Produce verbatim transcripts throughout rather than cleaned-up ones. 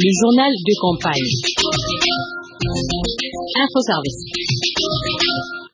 Le journal de campagne. Info Service.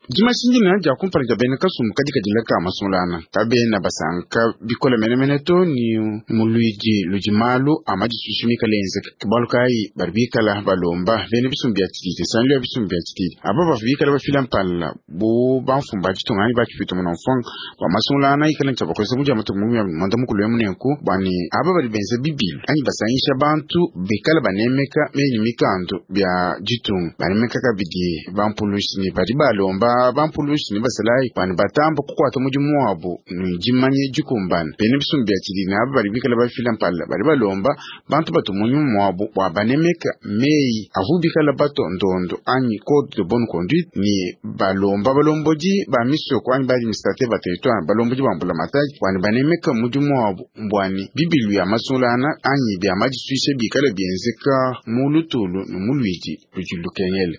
Dimashindina dia kumpala dia bena kasumbu kadi kadila ka masulana kabena basanka bikola menemene to ni muluidi ludi malu amadisusu mikale enzeka bualu kayi badi bikala balomba bena bisumbu bia tshididi nsangilu ya bisumbu bia tshididi aba bavua bikala bafila mpala bu bamfumbu ba ditunga anyi bakipita muna mfwanga bua masulana ikala ntshia bakosa mudia matuku muanda mukulu emu nenku bua ne aba badi benza bibilu anyi basangisha bantu bikala banemeka menyi mikando bia ditunga banemeka kabidi bampulushi ne badi balomba bampulushi ne basalayi bani batamba kukwata mudimu wabo ni dimanye dikumbana bena bisumbu bia tshididi aba badi bikala bafila mpala badi balomba bantu batu munyuma mwabo bua banemeka meyi avu bikala batondondo anyi code de bonne conduite ni balomba balombodi ba misoko anyi ba administrateur ba territoire balombodi ba mbulamatadi bwani banemeka mudimu wabo mbwani bibilu ya masulana anyi bia madisuisha bikala bienzeka mu lutulu ne mu luidi ludi lukengele.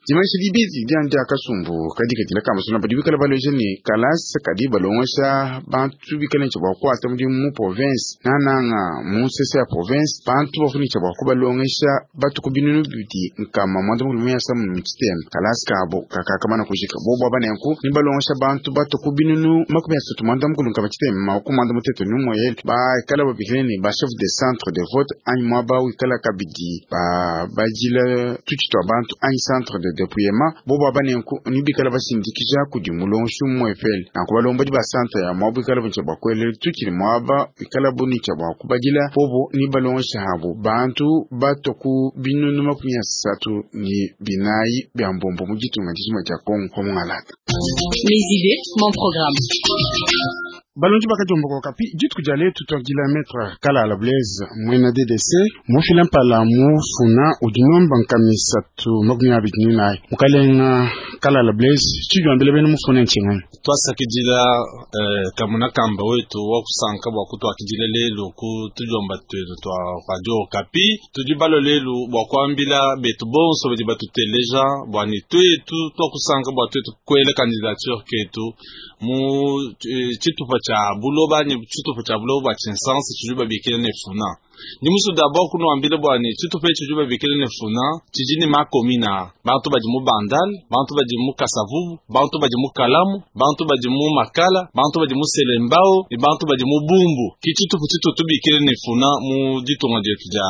Dimanche dibidi dia kasumbu kadi kadila kamasuna badi bikala baloje ni kalasa kadi balongosha bantu bikala ntsha bua kuata mudimu mu province nananga mu nsese ya province bantu bafuni ntsha bua kubalongesha batuku binunu bibidi nkama mwanda mukulu muyasa mu mutshiteme kalasa kabo kakakamana kujika bobo abanenku ni balongesha bantu batuku binunu makumi asatu mwanda mukulu nkama tshiteme maku mwanda mutete numwele bakala babikile ni ba chef de centre de vote anyi mwaba wikala kabidi ba bajila tutshitwa bantu anyi centre de dépouillement bobo abanenku ni bikala basindikija kudi mulongeshi umwepele nanku balombodi ba centre ya mwabo ikala buntsha bua kuelela tukili mwaba ikala bunitsha bua kubadila bobo ni balongesha habo bantu bato ku binunu makumi asatu ni binayi bia mbombo mu ditunga dijima dia Kongo komungalata. Mes idées, mon programme. Balonji bakajomba kwa kapi dituku dia letu twagila maître Kalala Blaise mwena D D C mufila mpala mufuna udinomba nkamisatu makumi abidi ni nayi mukalenga Kalala Blaise tshijwambile bene mufuna ntshingani twasakidila eh, kamuna kamba wetu wakusanka bua kutwakidila lelu ku tujomba twetu twa radio Okapi tudi balo lelu bua kuambila betu bonso badi batuteleja bua ni twetu twakusanka bua twetu kuela candidature ketu mu eh, tshitupa tshia buloba ni tshitupa tshia buloba bua tshinsansi tshidi babikile ne funa. Ndi musu d'abord kunuambile bua ne tshitupa etshi tshidi babikile ne funa tshidi ne makomina bantu badi mu Bandal, bantu badi mu Kasavubu, bantu badi mu Kalamu, bantu badi mu Makala, bantu badi mu Selembao ne bantu badi mu Bumbu. Ki tshitupa tshitu tubikile ne funa mu ditunga dietu dia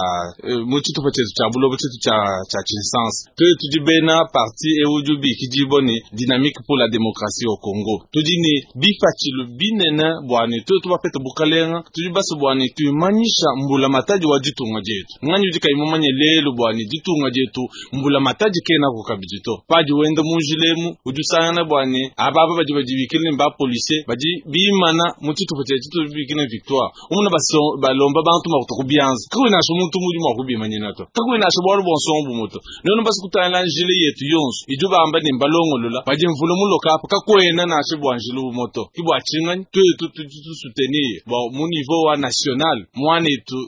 eh, mu tshitupa tshietu tshia buloba tshitu tshia tshia tshinsansi. Tuetu tudi bena parti ewu bikidibwa ne Dynamique pour la démocratie au Congo. Tudi ne bipatshilu binene bua ne tuetu bapete bukalenga tudi basu bua ne tuimanyisha mbula matadi wa ditunga dietu. Nganyi udi kayi mumanye lelu bua ne ditunga dietu mbula matadi kena ku kabidi to. Padi wenda mu njilemu udi usangana bua ne ababa badi badibikile ne ba policier badi bimana mu tshitupa tshia tshitu bikile ne victoire. Umuna baso balomba bantu makuta ku bianza. Kakuyi nansha muntu mudi mua kubimanyina to. Kakuyi nansha bualu buonso bu muto. Nenu basu kutangila njile yetu yonso idi bamba ne mbalongolola badi mvula muloka apa kakwena nansha bua njile bu moto. Ki bua tshinganyi tuetu tudi tu soutenir bua mu niveau wa national mwanetu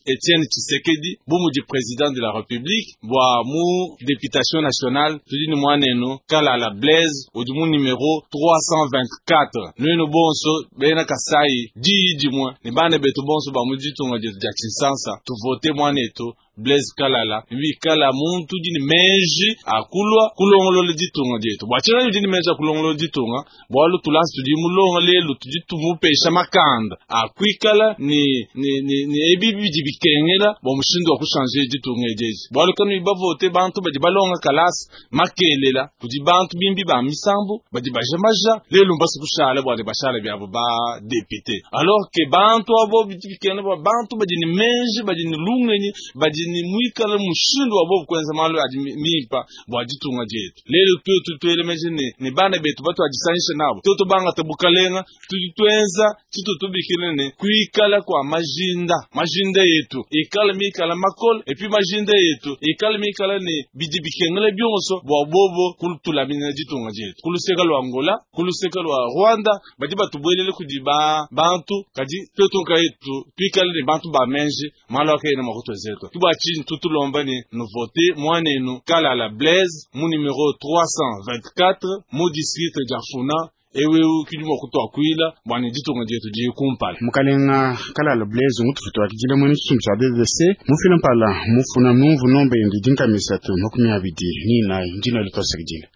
Etienne Tshisekedi bu mudi président de la République bua mu députation nationale tudi ni mwanenu Kalala Blaise udi mu numéro trois cent vingt-quatre. Nuenu bonso bena Kasai diyi dimue ne bana betu bonso ba mu ditunga dietu dia Tshinsansa tuvote mwanetu Blaise Kalala bikala muntu udi ne meji akulwa kulongolola ditunga dietu. Bua tshinganyi udi ne meji akulongolola ditunga bualu tulasi tudi mulonga lelu tudi tumupesha makanda akuikala ni ni ni, ni ebi bidi bikengela bua mushindu wa kushanje ditunga ediezi. Bualu kanu bavote bantu badi balonga kalasi makelela kudi bantu bimbi ba misambu badi bajamaja lelu mbasi kushala bua ne bashala biabo ba député alors que bantu abo bidi bikengela bua bantu badi ne meji badi ne lungenyi badi ni mwikala mushindu wa bobu kwenza malu adi mimpa bua ditunga dietu. Lelu tuetu tuelemeje ne ne bana betu batu adisanisha nabo tuetu bangata bukalenga tudi tuenza tshitu tubikile ne kuikala kwa majinda majinda yetu ikala mikala makolo et puis majinda yetu ikala mikala ne bidi bikengele bionso bua bobo kulutulamina ditunga dietu. Kuluseka lwa Angola kuluseka lwa Rwanda badi batubwelele kudi ba bantu kadi tuetu nkayetu tuikale ne bantu ba menji malu akayena makutu zetu. Kibwa chini tutulomba ni nous voter mwanenu Kalala Blaise mu numéro trois cent vingt-quatre mu district dia Funa Ewewu kidi mua kutuakuila bua ne ditunga dietu diye kumpala. Mukalenga Kalala Blaise ngutufutuakidile mwene tshisumbu tshia B V C mufila mpala mufuna numvu nombe yende dinkamisatu makumi abidi ni inayi ndina litwasakidile.